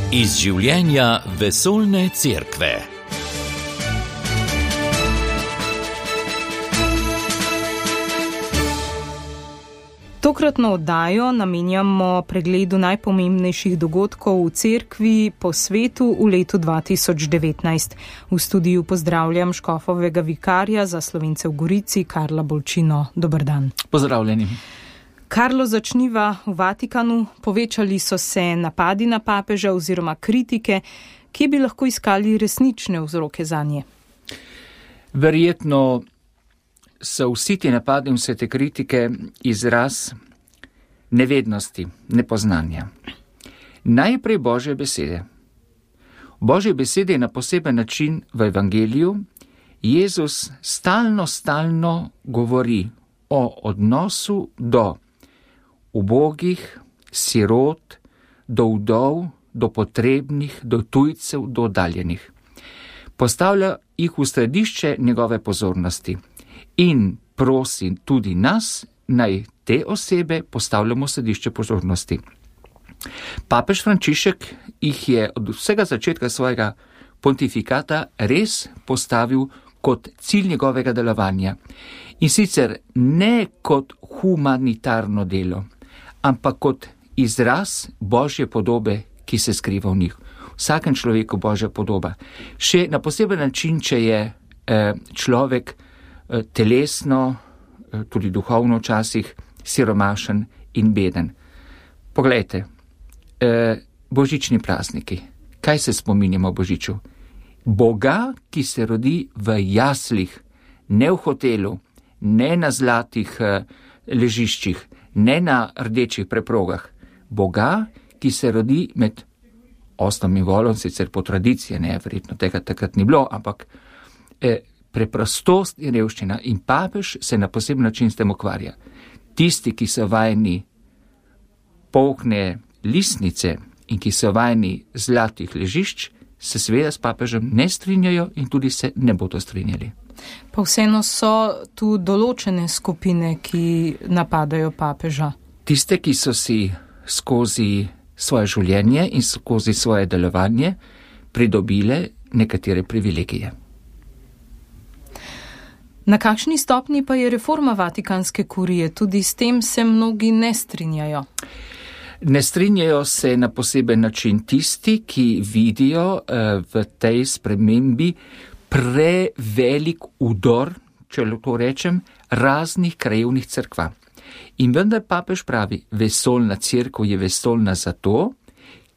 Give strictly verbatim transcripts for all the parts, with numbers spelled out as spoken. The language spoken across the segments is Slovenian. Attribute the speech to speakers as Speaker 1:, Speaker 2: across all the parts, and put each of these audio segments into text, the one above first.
Speaker 1: Iz življenja vesoljne cerkve.
Speaker 2: Tokratno oddajo namenjamo pregledu najpomembnejših dogodkov v cerkvi po svetu v letu dva tisoč devetnajst. V studiu pozdravljam škofovega vikarja za Slovence v Gorici, Karla Bolčino. Dober dan.
Speaker 3: Pozdravljeni.
Speaker 2: Karlo, začniva v Vatikanu. Povečali so se napadi na papeža oziroma kritike, kje bi lahko iskali resnične vzroke zanje?
Speaker 3: Verjetno so vsi ti napadi in vse te kritike izraz nevednosti, nepoznanja. Najprej Božje besede. Božje besede na poseben način v evangeliju Jezus stalno, stalno govori o odnosu do ubogih, sirot, do vdov, do potrebnih, do tujcev, do oddaljenih. Postavlja jih v središče njegove pozornosti. In prosim tudi nas, naj te osebe postavljamo v središče pozornosti. Papež Frančišek jih je od vsega začetka svojega pontifikata res postavil kot cilj njegovega delovanja. In sicer ne kot humanitarno delo, ampak kot izraz Božje podobe, ki se skriva v njih. Vsakem človeku Božja podoba. Še na poseben način, če je eh, človek telesno, tudi duhovno včasih, siromašen in beden. Poglejte, božični prazniki. Kaj se spominjamo Božiču? Boga, ki se rodi v jaslih, ne v hotelu, ne na zlatih ležiščih, ne na rdečih preprogah. Boga, ki se rodi med ostom in volom, sicer po tradiciji, ne, verjetno tega takrat ni bilo, ampak eh, preprostost in revščina, in papež se na poseben način s tem ukvarja. Tisti, ki so vajeni polkne listnice in ki so vajeni zlatih ležišč, se seveda s papežem ne strinjajo in tudi se ne bodo strinjali.
Speaker 2: Pa vseeno so tu določene skupine, ki napadajo papeža.
Speaker 3: Tiste, ki so si skozi svoje življenje in skozi svoje delovanje pridobile nekatere privilegije.
Speaker 2: Na kakšni stopni pa je reforma Vatikanske kurije? Tudi s tem se mnogi ne strinjajo.
Speaker 3: Ne strinjajo se na poseben način tisti, ki vidijo uh, v tej spremembi prevelik udor, če lahko rečem, raznih krajevnih cerkva. In vendar papež pravi, vesoljna cerkev je vesoljna zato,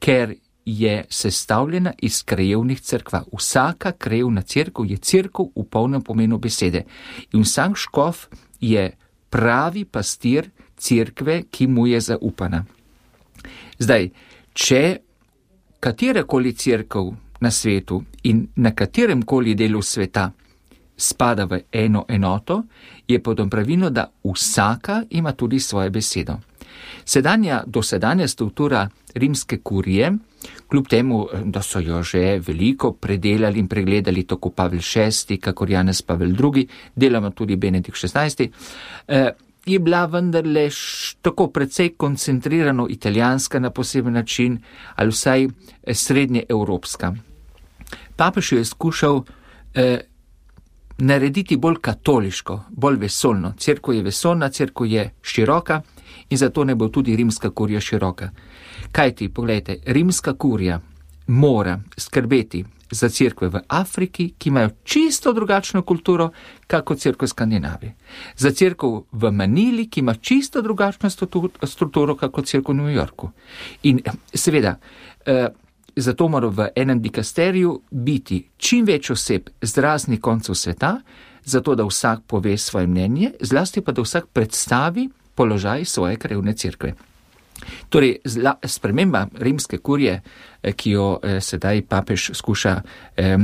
Speaker 3: ker je sestavljena iz krajevnih cerkva. Vsaka krajevna cerkev je cerkev v polnem pomenu besede. In vsak škof je pravi pastir cerkve, ki mu je zaupana. Zdaj, če katerakoli cerkev na svetu in na katerem koli delu sveta spada v eno enoto, je potom pravilno, da vsaka ima tudi svojo besedo. Sedanja, dosedanja struktura rimske kurije, kljub temu, da so jo že veliko predelali in pregledali tako Pavel šesti, kakor Janez Pavel drugi, deloma tudi Benedikt šestnajsti, je bila vendarle tako precej koncentrirano italijanska na poseben način ali vsaj srednje evropska. Papež je skušal eh, narediti bolj katoliško, bolj vesoljno. Cerkev je vesoljna, cerkev je široka in zato ne bo tudi rimska kurija široka. Kaj ti, pogledajte, rimska kurija mora skrbeti za cerkve v Afriki, ki imajo čisto drugačno kulturo, kako cerkev v Skandinaviji. Za cerkev v Manili, ki ima čisto drugačno strukturo, kako cerkev v New Yorku. In seveda, eh, zato mora v enem dikasteriju biti čim več oseb z raznih koncev sveta, zato da vsak pove svoje mnenje, zlasti pa da vsak predstavi položaj svoje krajevne cerkve. Torej, zla, sprememba rimske kurije, ki jo eh, sedaj papež skuša eh,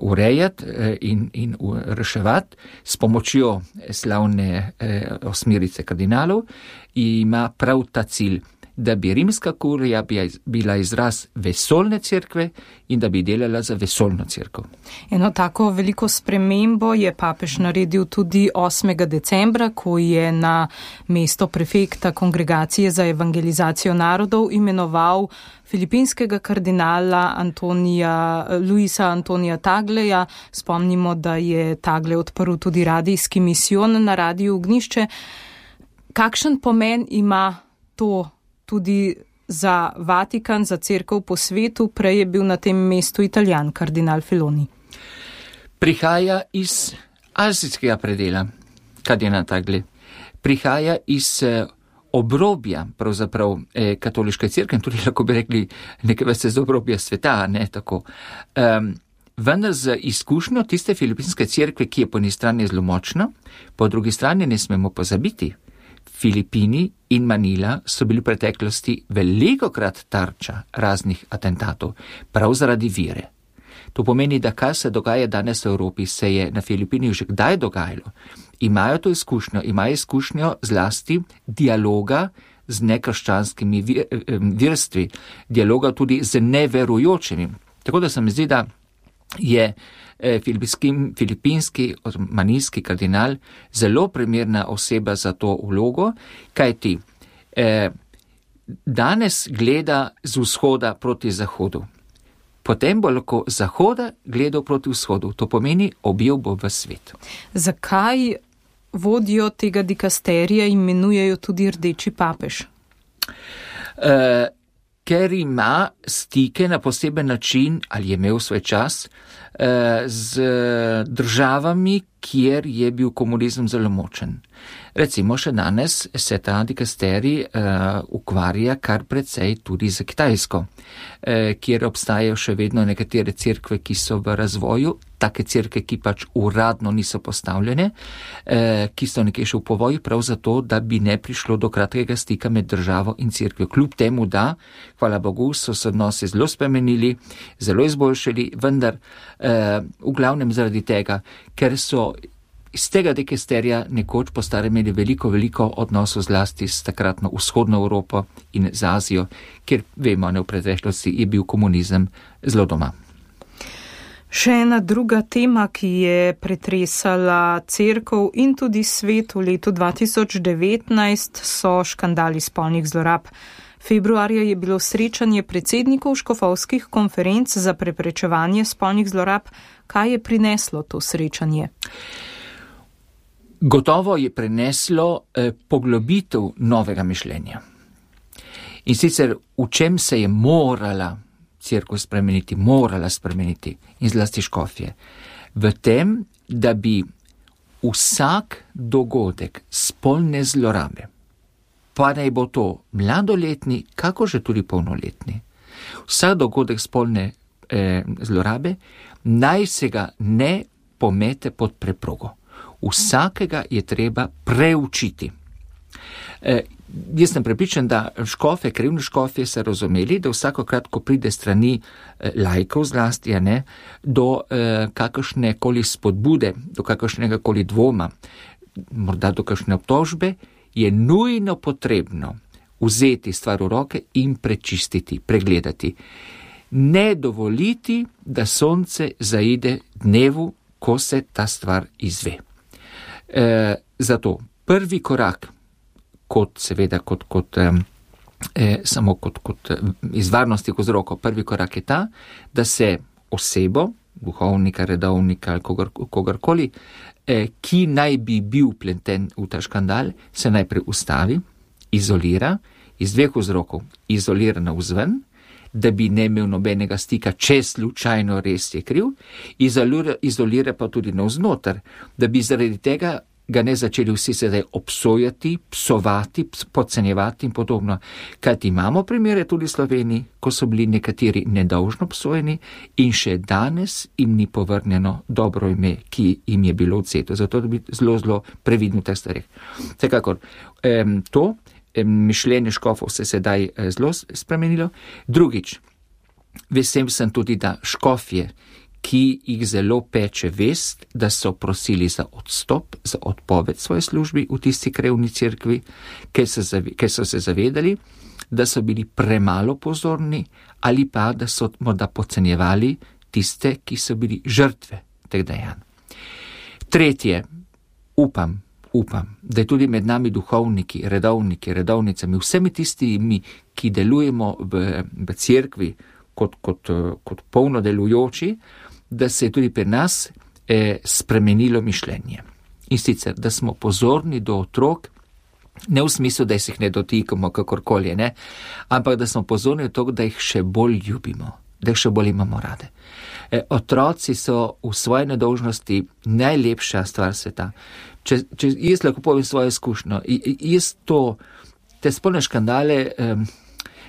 Speaker 3: urejati eh, in, in reševati s pomočjo slavne eh, osmerice kardinalov, ima prav ta cilj. da bi rimska kurija bila izraz vesoljne cerkve in da bi delala za vesoljno cerkev.
Speaker 2: Eno tako veliko spremembo je papež naredil tudi osmega decembra, ko je na mesto prefekta Kongregacije za evangelizacijo narodov imenoval filipinskega kardinala Antonija, Luisa Antonija Tagleja. Spomnimo, da je Tagle odprl tudi radijski misijon na Radiju Ognjišče. Kakšen pomen ima to tudi za Vatikan, za cerkev po svetu? Prej je bil na tem mestu Italijan, kardinal Filoni.
Speaker 3: Prihaja iz azijskega predela, kardinal Tagle. Prihaja iz obrobja, pravzaprav eh, katoliške cerkve, tudi lahko bi rekli nekaj vrste z obrobja sveta, ne tako. Um, vendar z izkušnjo tiste filipinske cerkve, ki je po eni strani zelo močna, po drugi strani ne smemo pozabiti. Filipini in Manila so bili v preteklosti velikokrat tarča raznih atentatov, prav zaradi vire. To pomeni, da kar se dogaja danes v Evropi, se je na Filipinih že kdaj dogajalo. Imajo to izkušnjo, imajo izkušnjo zlasti dialoga z nekrščanskimi verstvi, dialoga tudi z neverujočimi. Tako da se mi zdi, da je filipinski, manilski kardinal zelo primerna oseba za to vlogo, kajti eh, danes gleda z vzhoda proti zahodu. Potem bo lahko zahoda gledal proti vzhodu. To pomeni, objel bo v svet.
Speaker 2: Zakaj vodjo tega dikasterija imenujejo tudi rdeči papež?
Speaker 3: Uh, ker ima stike na poseben način, ali je imel svoj čas, uh, z državami, kjer je bil komunizem zelo močen. Recimo še danes se ta dikasterij uh, ukvarja kar precej tudi za Kitajsko, uh, kjer obstajajo še vedno nekatere cerkve, ki so v razvoju, take cerkve, ki pač uradno niso postavljene, uh, ki so nekje še v povoju, prav zato, da bi ne prišlo do kratkega stika med državo in cerkvijo. Kljub temu, da, hvala Bogu, so se odnosi zelo spremenili, zelo izboljšali, vendar uh, v glavnem zaradi tega, ker so iz tega dikasterija nekoč po starem imeli veliko, veliko odnosov zlasti s takratno vzhodno Evropo in z Azijo, kjer vemo, ne v preteklosti je bil komunizem zelo doma.
Speaker 2: Še ena druga tema, ki je pretresala cerkev in tudi svet v letu dva tisoč devetnajst, so škandali spolnih zlorab. Februarja je bilo srečanje predsednikov škofovskih konferenc za preprečevanje spolnih zlorab. Kaj je prineslo to srečanje?
Speaker 3: Gotovo je preneslo eh, poglobitev novega mišljenja. In sicer v čem se je morala cerkev spremeniti, morala spremeniti in zlasti škofje. V tem, da bi vsak dogodek spolne zlorabe, pa naj bo to mladoletni, kako že tudi polnoletni, vsak dogodek spolne eh, zlorabe, naj se ga ne pomete pod preprogo. Vsakega je treba preučiti. E, jaz sem prepričan, da škofe, krivni škofje se razumeli, da vsakokrat, ko pride strani e, laikov zlasti, ne, do e, kakršne koli spodbude, do kakršnega koli dvoma, morda do kakšne obtožbe, je nujno potrebno vzeti stvar v roke in prečistiti, pregledati. Ne dovoliti, da sonce zaide dnevu, ko se ta stvar izve. E, zato prvi korak, kot seveda kot, kot, e, samo kot, kot iz varnosti vzrokov, prvi korak je ta, da se osebo, duhovnika, redovnika ali kogar, kogarkoli, e, ki naj bi bil pleten v ta škandal, se najprej ustavi, izolira, iz dveh vzrokov, izolira navzven, da bi ne imel nobenega stika, če slučajno res je kriv, izolira, izolira pa tudi navznoter, da bi zaradi tega ga ne začeli vsi sedaj obsojati, psovati, podcenjevati in podobno. Kajti imamo primere tudi v Sloveniji, ko so bili nekateri nedolžno obsojeni in še danes jim ni povrnjeno dobro ime, ki jim je bilo odseto. Zato da bi zelo, zelo previdno v teh stvareh. Vsekakor, em, to mišljenje škofov se sedaj zelo spremenilo. Drugič, vesel sem tudi, da škofje, ki jih zelo peče vest, da so prosili za odstop, za odpoved svoje službi v tisti krevni cerkvi, ker so, ker so se zavedali, da so bili premalo pozorni ali pa da so morda podcenjevali tiste, ki so bili žrtve teh dejanj. Tretje, upam, upam, da je tudi med nami duhovniki, redovniki, redovnicami, vsemi tistimi, ki delujemo v, v cerkvi kot, kot, kot polno delujoči, da se je tudi pri nas eh, spremenilo mišljenje. In sicer, da smo pozorni do otrok, ne v smislu, da jih ne dotikamo kakorkoli, ne, ampak da smo pozorni do tega, da jih še bolj ljubimo, da jih še bolj imamo rade. E, otroci so v svoji nedolžnosti najlepša stvar sveta. Če, če jaz lahko povem svojo izkušnjo, jaz to, te spolne škandale um,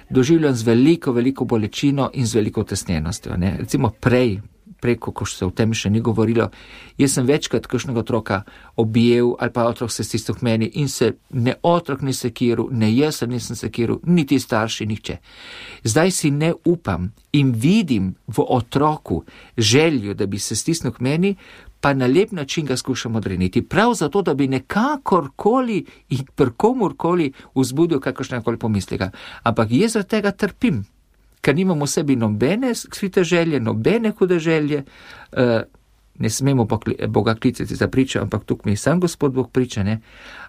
Speaker 3: doživljam z veliko, veliko bolečino in z veliko tesnjenostjo. Ne. Recimo prej, preko, ko se o tem še ni govorilo, jaz sem večkrat kakšnega otroka objel ali pa otrok se stisnil k meni in se ne otrok ni sekiral, ne jaz nisem sekiral, niti starši, nihče. Zdaj si ne upam in vidim v otroku željo, da bi se stisnil k meni, pa na lep način ga skušam odreniti. Prav zato, da bi nekakorkoli in prkomorkoli vzbudil kakršnekoli pomisleka. Ampak jaz za tega trpim. Ker nimamo v sebi nobene skrite želje, nobene hude želje, uh, ne smemo Boga klicati za pričo, ampak tukaj mi sam Gospod Bog priča, ne?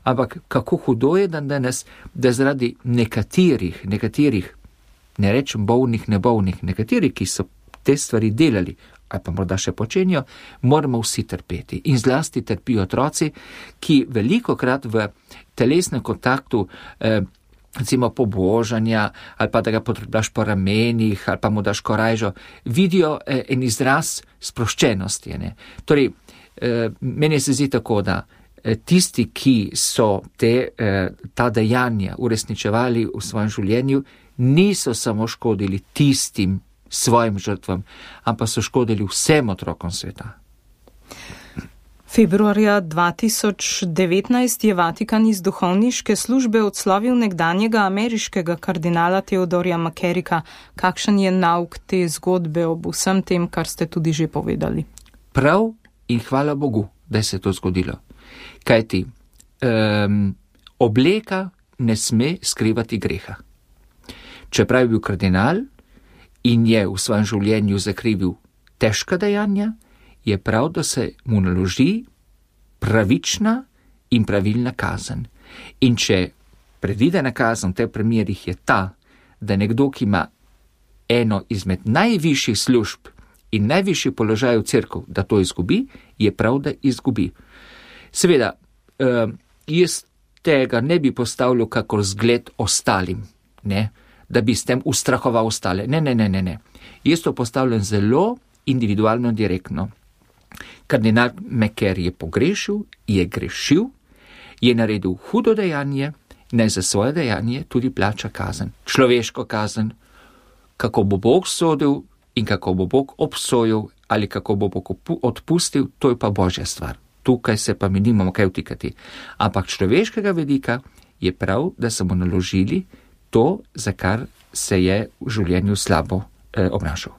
Speaker 3: Ampak kako hudo je dan danes, da zaradi nekaterih, nekaterih, ne rečem bolnih, nebovnih, nekaterih, ki so te stvari delali, ali pa morda še počenjo, moramo vsi trpeti. In zlasti trpijo otroci, ki velikokrat v telesnem kontaktu eh, recimo pobožanja, ali pa da ga potrebaš po ramenih, ali pa mu daš korajžo, vidijo eh, en izraz sproščenosti. Ne? Torej, eh, meni se zdi tako, da eh, tisti, ki so te, eh, ta dejanja uresničevali v svojem življenju, niso samo škodili tistim svojim žrtvam, ampak so škodili vsem otrokom sveta.
Speaker 2: Februarja dva tisoč devetnajst je Vatikan iz duhovniške službe odslovil nekdanjega ameriškega kardinala Theodorja McCarricka. Kakšen je nauk te zgodbe ob vsem tem, kar ste tudi že povedali?
Speaker 3: Prav in hvala Bogu, da se je to zgodilo. Kajti, um, obleka ne sme skrivati greha. Čeprav je bil kardinal in je v svojem življenju zakrivil težka dejanja, je prav, da se mu naloži pravična in pravilna kazen. In če predvidena kazen v teh primerih je ta, da nekdo, ki ima eno izmed najvišjih služb in najvišji položaj v cerkev, da to izgubi, je prav, da izgubi. Seveda, eh, jaz tega ne bi postavljal kakor zgled ostalim, ne, da bi s tem ustrahoval ostale. Ne, ne, ne, ne, ne. Jaz to postavljam zelo individualno in direktno. Kardinal McCarrick je pogrešil, je grešil, je naredil hudo dejanje, naj za svoje dejanje tudi plača kazen. Človeško kazen, kako bo Bog sodil in kako bo Bog obsojil ali kako bo Bog odpustil, to je pa Božja stvar. Tukaj se pa mi nimamo kaj vtikati. Ampak človeškega vidika je prav, da so mu naložili to, za kar se je v življenju slabo eh, obnašal.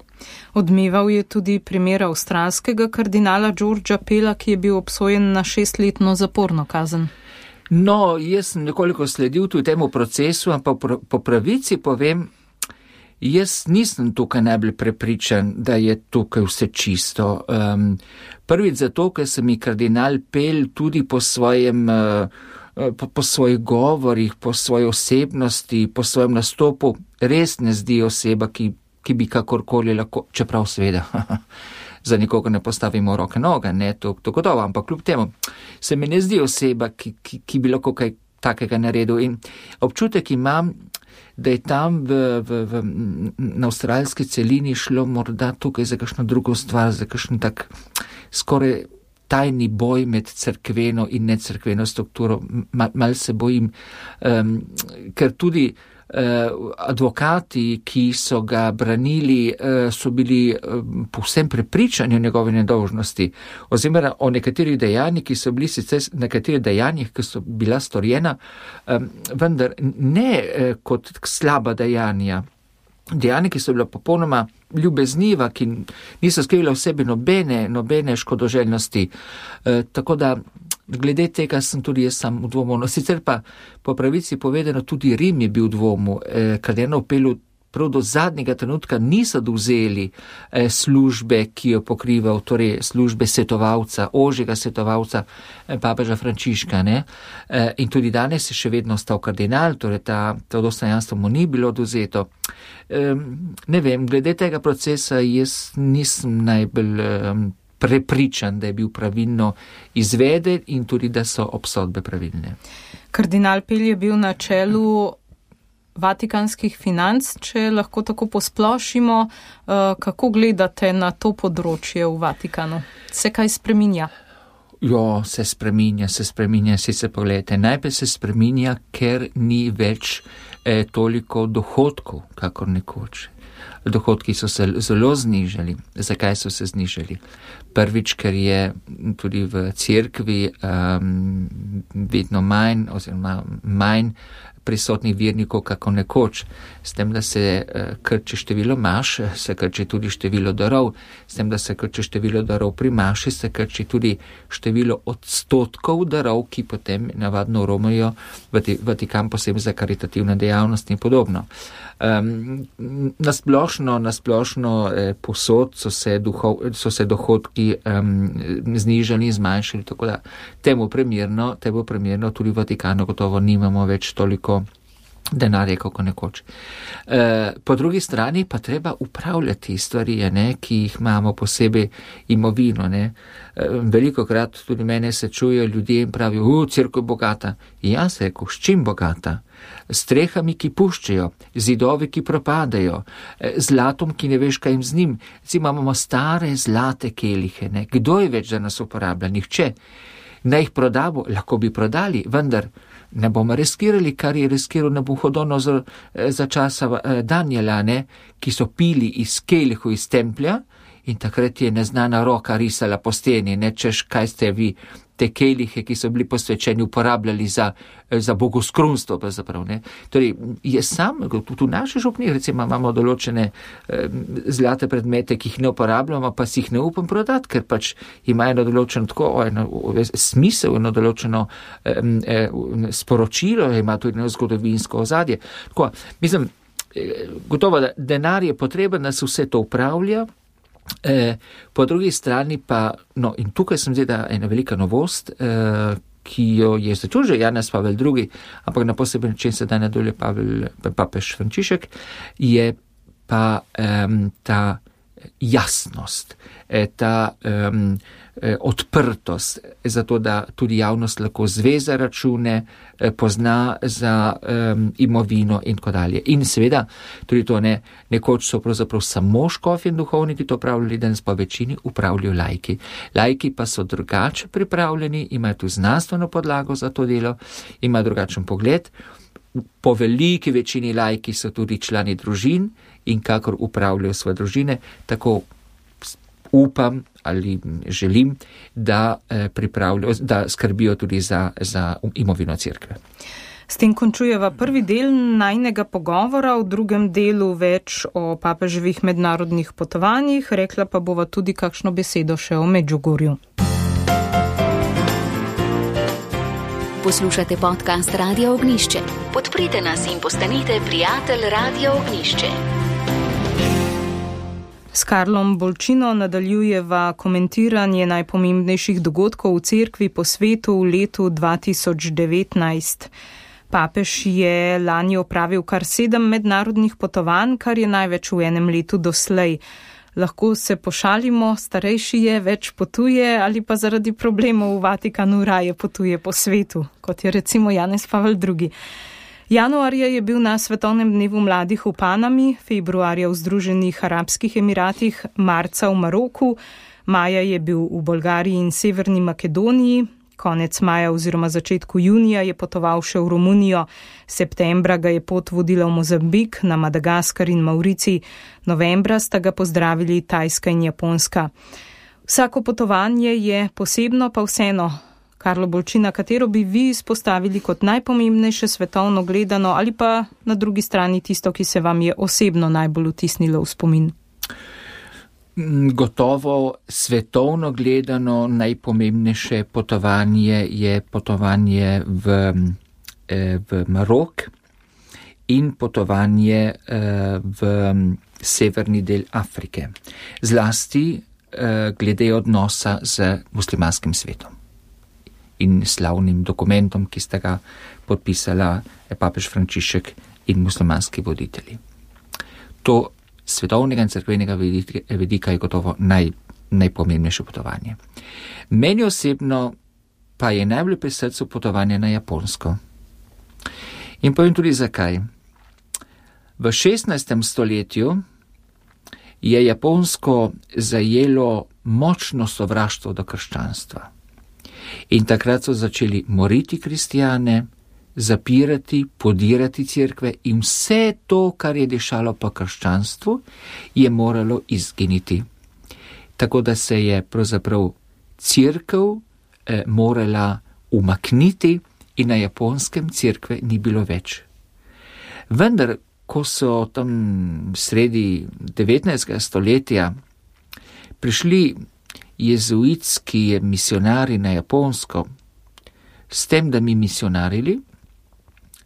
Speaker 2: Odmeval je tudi primer avstralskega kardinala Georgea Pella, ki je bil obsojen na šestletno zaporno kazen.
Speaker 3: No, jaz sem nekoliko sledil tudi temu procesu, ampak po pravici povem, jaz nisem tukaj najbolj prepričan, da je tukaj vse čisto. Um, prvič zato, ker se mi kardinal Pell tudi po svojem, uh, po, po svojih govorih, po svoji osebnosti, po svojem nastopu res ne zdi oseba, ki ki bi kakorkoli lahko, čeprav seveda, za nikoga ne postavimo roke noge, ne, to, to gotovo, ampak kljub temu se mi ne zdi oseba, ki, ki, ki bi lahko kaj takega naredil. In občutek imam, da je tam v, v, v, na avstralski celini šlo morda tukaj za kakšno drugo stvar, za kakšen tak skoraj tajni boj med cerkveno in necerkveno strukturo. Mal, mal se bojim, um, ker tudi Uh, advokati, ki so ga branili, uh, so bili uh, povsem prepričani o njegovi nedolžnosti, oziroma o nekaterih dejanjih, ki so bili sicer nekaterih dejanjih, ki so bila storjena, um, vendar ne uh, kot slaba dejanja. Dejanja, ki so bila popolnoma ljubezniva, ki niso skrivila v sebi nobene, nobene škodoželjnosti. Uh, tako da glede tega sem tudi jaz sam v dvomu. No, sicer pa po pravici povedano tudi Rim je bil v dvomu, eh, kardinal Pelu prav do zadnjega trenutka niso dovzeli eh, službe, ki jo pokrival, torej službe svetovalca, ožjega svetovalca eh, papeža Frančiška, ne. Eh, in tudi danes je še vedno ostal kardinal, torej ta, to dostojanstvo mu ni bilo dozeto. Eh, ne vem, glede tega procesa jaz nisem najbolj eh, prepričan, da je bil pravilno izveden in tudi, da so obsodbe pravilne.
Speaker 2: Kardinal Pel je bil na čelu vatikanskih financ, če lahko tako posplošimo. Kako gledate na to področje v Vatikanu? Se kaj spreminja?
Speaker 3: Jo, se spreminja, se spreminja, si se pogledajte. Najprej se spreminja, ker ni več eh, toliko dohodkov, kakor nekoč. Dohodki so se zelo znižali. Zakaj so se znižali? Prvič, ker je tudi v cerkvi um, vedno manj oziroma manj prisotnih vernikov kako nekoč. S tem, da se uh, krči število maš, se krči tudi število darov. S tem, da se krči število darov pri maši, se krči tudi število odstotkov darov, ki potem navadno romajo v Vatikan posebej za karitativne dejavnosti in podobno. Um, nasplošno, nasplošno eh, posod so se, duhov, so se dohodki um, znižali in zmanjšali, tako da temu primerno, temu primerno tudi v Vatikanu gotovo nimamo več toliko denarja, kako nekoč. E, po drugi strani pa treba upravljati stvari, ne, ki jih imamo posebej imovino. Ne. E, veliko krat tudi mene se čujejo ljudje in pravijo, u, cerkev bogata. In jaz rekel, s čim bogata? S strehami, ki puščajo, zidovi, ki propadajo, zlatom, ki ne veš, kaj jim z njim. Zdaj imamo stare zlate kelihe, ne. Kdo je več za nas uporablja? Nihče. Naj jih prodamo, lahko bi prodali, vendar ne bomo riskirali, kar je riskiral Nabuhodonozor za časa Danijela, ne, ki so pili iz kelihu iz templja in takrat je neznana roka risala po steni, ne, češ kaj ste vi te kelihe, ki so bili posvečeni, uporabljali za, za bogoskrunstvo, pravzaprav, ne. Torej, je sam, tudi v naši župni, recimo, imamo določene eh, zlate predmete, ki jih ne uporabljamo, pa si jih ne upam prodati, ker pač imajo eno določeno tako, eno smisel, eno določeno eh, eh, sporočilo, ima tudi eno zgodovinsko ozadje. Tako, mislim, eh, gotovo, da denar je potreben, da se vse to upravlja. E, po drugi strani pa, no, in tukaj sem zdaj ena velika novost, e, ki jo je začel že Janez Pavel drugi, ampak na poseben način se da nadalje Pavel, papež Frančišek, je pa um, ta jasnost, ta um, odprtost, zato da tudi javnost lahko zve za račune, pozna za um, imovino in tako dalje. In seveda, tudi to ne, nekoč so pravzaprav samo škofje in duhovniki to upravljali, danes pa večini upravljajo laiki. Laiki pa so drugače pripravljeni, imajo tu znanstveno podlago za to delo, imajo drugačen pogled. Po veliki večini laiki so tudi člani družin in kakor upravljajo svoje družine, tako upam ali želim, da, eh, da skrbijo tudi za, za imovino cerkve.
Speaker 2: S tem končujeva prvi del najnega pogovora, v drugem delu več o papeževih mednarodnih potovanjih, rekla pa bova tudi kakšno besedo še o Medžugorju.
Speaker 4: Poslušate podcast Radio Ognjišče. Podprite nas in postanite prijatelj Radio Ognjišče.
Speaker 2: S Karlom Bolčino nadaljujeva komentiranje najpomembnejših dogodkov v cerkvi po svetu v letu dva tisoč devetnajst. Papež je lani opravil kar sedem mednarodnih potovanj, kar je največ v enem letu doslej. Lahko se pošalimo, starejši je, več potuje ali pa zaradi problemov v Vatikanu raje potuje po svetu, kot je recimo Janez Pavel drugi. Januarja je bil na Svetovnem dnevu mladih v Panami, februarja v Združenih arabskih emiratih, marca v Maroku, maja je bil v Bolgariji in Severni Makedoniji, konec maja oziroma začetku junija je potoval še v Romunijo, septembra ga je pot vodila v Mozambik, na Madagaskar in Mauricij, novembra sta ga pozdravili Tajska in Japonska. Vsako potovanje je posebno, pa vseeno. Karlo Bolčina, katero bi vi izpostavili kot najpomembnejše svetovno gledano ali pa na drugi strani tisto, ki se vam je osebno najbolj vtisnilo v spomin?
Speaker 3: Gotovo svetovno gledano najpomembnejše potovanje je potovanje v, v Marok in potovanje v severni del Afrike. Zlasti glede odnosa z muslimanskim svetom in slavnim dokumentom, ki sta ga podpisala papež Frančišek in muslimanski voditelji. To svetovnega in cerkvenega vidika je gotovo naj, najpomembnejše potovanje. Meni osebno pa je najbolj pri srcu potovanje na Japonsko. In povem tudi zakaj. V šestnajstem stoletju je Japonsko zajelo močno sovraštvo do krščanstva. In takrat so začeli moriti kristijane, zapirati, podirati cerkve in vse to, kar je dišalo po krščanstvu, je moralo izginiti. Tako da se je pravzaprav cerkev eh, morala umakniti in na Japonskem cerkve ni bilo več. Vendar, ko so tam sredi devetnajstega stoletja prišli jezuitski misionari na Japonsko, s tem, da mi misionarili,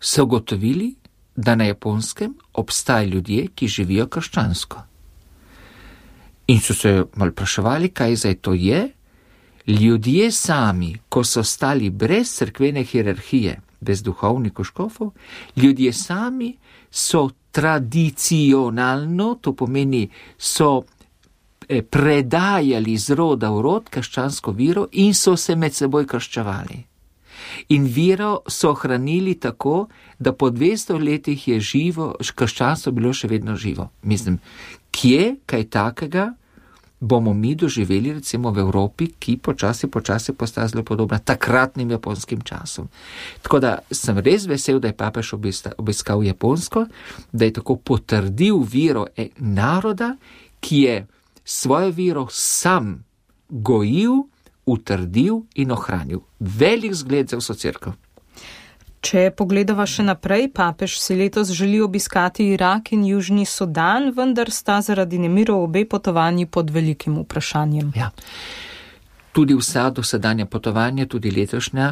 Speaker 3: so gotovili, da na Japonskem obstajajo ljudje, ki živijo krščansko. In so se malo vpraševali, kaj zdaj to je. Ljudje sami, ko so stali brez cerkvene hierarhije, brez duhovnikov škofov, ljudje sami so tradicionalno, to pomeni, so predajali z roda v rod krščansko vero in so se med seboj krščevali. In vero so ohranili tako, da po dvesto letih je živo, krščanstvo bilo še vedno živo. Mislim, kje kaj takega bomo mi doživeli recimo v Evropi, ki počasi, počasi postaja zelo podobna takratnim japonskim časom. Tako da sem res vesel, da je papež obiskal Japonsko, da je tako potrdil vero naroda, ki je svojo vero sam gojil, utrdil in ohranil. Velik zgled za vso cerkev.
Speaker 2: Če pogledava še naprej, papež si letos želi obiskati Irak in Južni Sudan, vendar sta zaradi nemirov obe potovanji pod velikim vprašanjem.
Speaker 3: Ja. Tudi vsa dosedanja potovanja, tudi letošnja,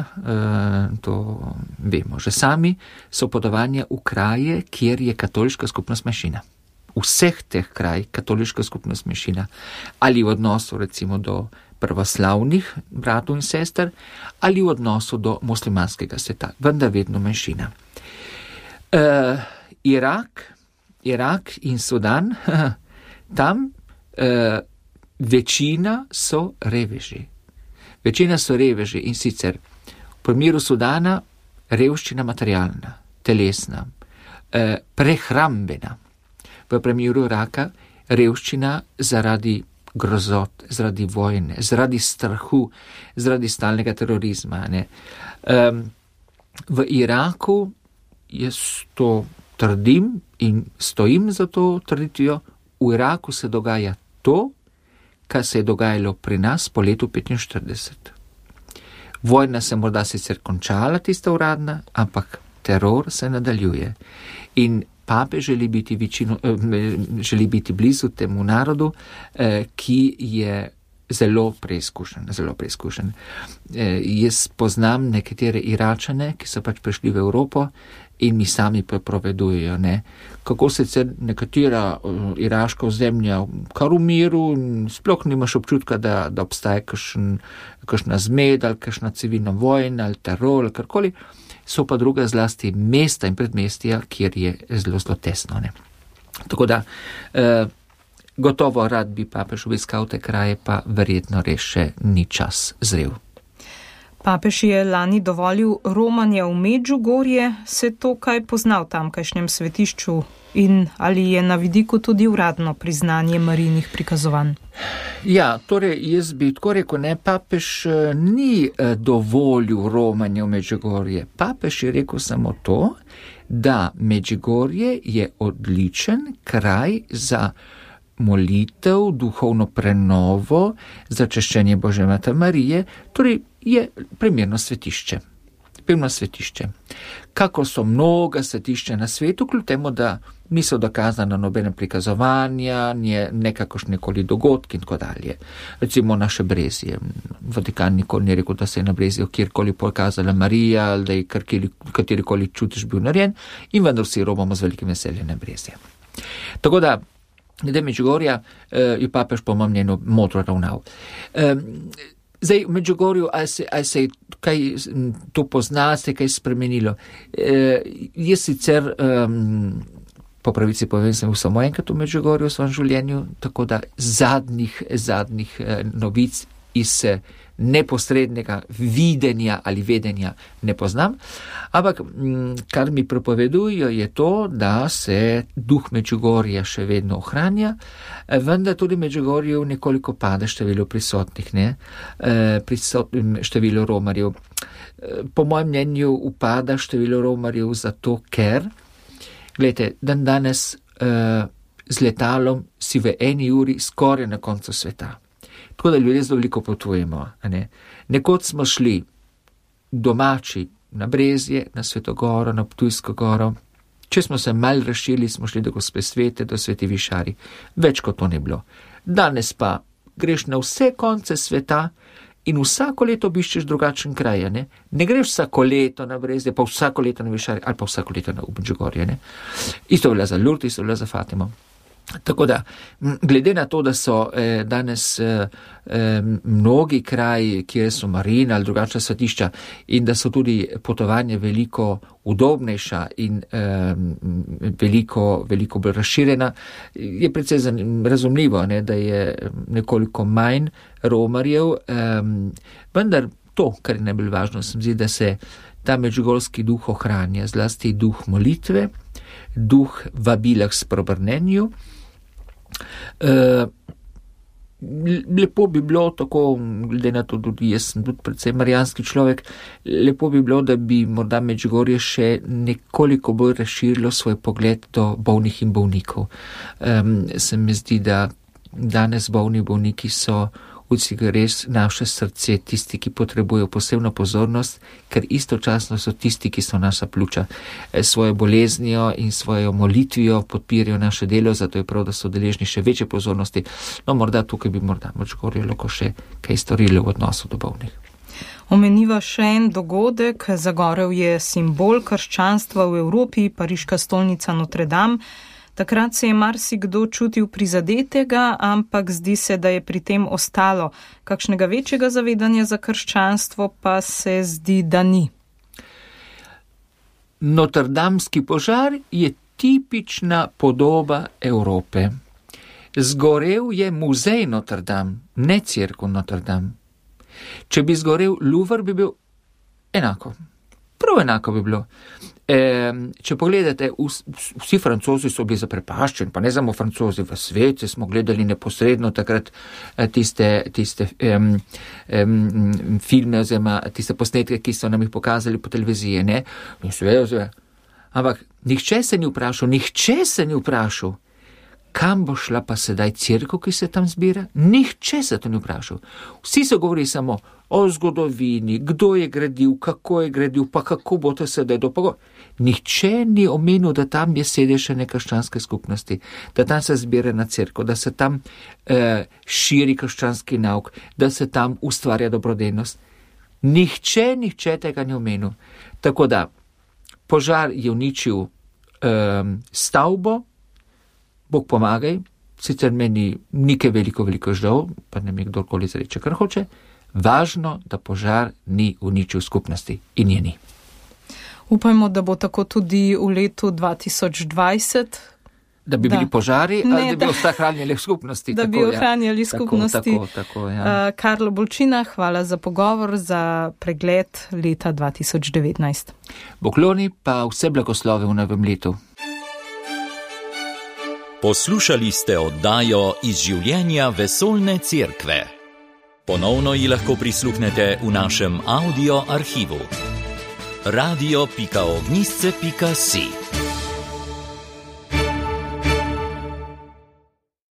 Speaker 3: to vemo že sami, so potovanja v kraje, kjer je katoliška skupnost manjšina. Vseh teh kraj katoliška skupnost manjšina. Ali v odnosu recimo do pravoslavnih bratov in sester, ali v odnosu do muslimanskega sveta, vendar vedno manjšina. Uh, Irak, Irak in Sudan, tam uh, večina so reveži. Večina so reveži in sicer v primeru Sudana revščina materialna, telesna, uh, prehrambena. V primeru Iraka revščina zaradi grozot, zaradi vojne, zaradi strahu, zaradi stalnega terorizma. Ne. Um, v Iraku jaz to trdim in stojim za to trditvijo, v Iraku se dogaja to, kar se je dogajalo pri nas po letu petinštirideset. Vojna se morda sicer končala, tista uradna, ampak teror se nadaljuje. In pape želi biti, večino, želi biti blizu temu narodu, ki je zelo preizkušen, zelo preizkušen. Jaz poznam nekatere Iračane, ki so pač prišli v Evropo in mi sami prepovedujejo, ne, kako sicer nekatera iraška ozemlja kar v miru, sploh nimaš občutka, da, da obstaja kakšen, kakšna zmed ali kakšna civilna vojna ali teror ali karkoli, so pa druga zlasti mesta in predmestja, kjer je zelo, zelo tesno. Ne. Tako da, eh, gotovo rad bi papež obiskal te kraje, pa verjetno res še ni čas zrel.
Speaker 2: Papež je lani dovolil romanje v Medžugorje, se to kaj pozna v tamkajšnjem svetišču in ali je na vidiku tudi uradno priznanje Marijinih prikazovanj?
Speaker 3: Ja, torej jaz bi tako rekel, ne, papež ni dovolil romanje v Medžugorje. Papež je rekel samo to, da Medžugorje je odličen kraj za molitev, duhovno prenovo, za češčenje Božje Matere Marije, torej je primerno svetišče. Pojmo svetišče. Kako so mnoga svetišča na svetu, kljub temu, da niso dokazana nobene prikazovanja, nekakšnikoli dogodki in tako dalje. Recimo naše Brezje. Vatikan nikoli ni rekel, da se je na Brezju kjerkoli pokazala Marija, ali da je katerikoli čutiš bil narejen, in vendar vsi robamo z velikim veseljem na Brezje. Tako da, glede Medžugorja, je papež po mojem mnenju modro ravnal. Zdaj, v Medžugorju, ali se, ali se je kaj to pozna, se je kaj spremenilo. E, je sicer, um, po pravici povem, sem bil samo enkrat v Medžugorju v svojem življenju, tako da zadnjih, zadnjih eh, novic iz neposrednega videnja ali vedenja ne poznam, ampak kar mi prepovedujo je to, da se duh Medžugorja še vedno ohranja, vendar tudi v Medžugorju nekoliko pada število prisotnih, ne, Prisot, število romarjev. Po mojem mnenju upada število romarjev zato, ker, gledajte, dan danes z letalom si v eni uri skoraj na koncu sveta. Tako da ljudje zelo veliko potujemo. Ne? Nekoč smo šli domači na Brezje, na Svetogoro, na Ptujsko goro. Če smo se mal razširili, smo šli do Gospe Svete, do Sveti Višari. Več kot to ni bilo. Danes pa greš na vse konce sveta in vsako leto obiščeš drugačen kraj. Ne? Ne greš vsako leto na Brezje, pa vsako leto na Višari, ali pa vsako leto na Medžugorje. Ne? Isto velja za Lourdes, isto velja za Fatimo. Tako da, glede na to, da so eh, danes eh, mnogi kraji, kjer so marina ali drugačna svetišča in da so tudi potovanja veliko udobnejša in eh, veliko, veliko bolj razširjena, je precej razumljivo, ne, da je nekoliko manj romarjev, eh, vendar to, kar je najbolj važno, se mi zdi, da se ta medžugorski duh ohranja, zlasti duh molitve, duh vabila k spreobrnenju. Uh, lepo bi bilo tako, glede na to, tudi jaz sem tudi predvsem marijanski človek, lepo bi bilo, da bi morda Medžugorje še nekoliko bolj razširilo svoj pogled do bolnih in bolnikov. Um, se mi zdi, da danes bolni bolniki so vsi res naše srce, tisti, ki potrebujejo posebno pozornost, ker istočasno so tisti, ki so naša pljuča. Svojo boleznijo in svojo molitvijo podpirajo naše delo, zato je prav, da so deležni še večje pozornosti. No, morda tukaj bi morda Medžugorje lahko še kaj storilo v odnosu do bolnih.
Speaker 2: Omeniva še en dogodek. Zagorel je simbol krščanstva v Evropi, pariška stolnica Notre Dame. Takrat se je marsikdo čutil prizadetega, ampak zdi se, da je pri tem ostalo. Kakšnega večjega zavedanja za krščanstvo pa se zdi, da ni.
Speaker 3: Notrdamski požar je tipična podoba Evrope. Zgorel je muzej Notre Dame, ne cerkev Notre Dame. Če bi zgorel Louvre, bi bil enako. Prav enako bi bilo. E, če pogledate, vsi Francozi so bili zaprepaščeni, pa ne samo Francozi, v svetu smo gledali neposredno takrat tiste, tiste um, um, filme oziroma tiste posnetke, ki so nam jih pokazali po televiziji, ne? In seveda, seveda. Ampak nihče se ni vprašal, nihče se ni vprašal, kam bo šla pa sedaj cerkev, ki se tam zbira? Nihče se to ni vprašal. Vsi so govorili samo o zgodovini, kdo je gradil, kako je gradil, pa kako bo to sedaj dopogo. Nihče ni omenil, da tam je sedež krščanske skupnosti, da tam se zbira na cerkev, da se tam eh, širi krščanski nauk, da se tam ustvarja dobrodelnost. Nihče, nihče tega ni omenil. Tako da, požar je uničil eh, stavbo, Bog pomagaj, sicer meni nekaj veliko, veliko žal, pa ne mi kdorkoli zreče, kar hoče, važno, da požar ni uničil skupnosti in je ni.
Speaker 2: Upajmo, da bo tako tudi v letu dva tisoč dvajset.
Speaker 3: Da bi da. bili požari, ne, ali da bi da, ohranjali skupnosti.
Speaker 2: Da
Speaker 3: tako,
Speaker 2: bi ohranjali ja. skupnosti.
Speaker 3: Tako, tako, tako, ja.
Speaker 2: uh, Karlo Bolčina, hvala za pogovor, za pregled leta dva tisoč devetnajst.
Speaker 3: Bokloni pa vse blagoslove v novem letu.
Speaker 1: Poslušali ste oddajo iz življenja Vesoljne cerkve. Ponovno ji lahko prisluhnete v našem audio arhivu. radio pika ognjišče pika si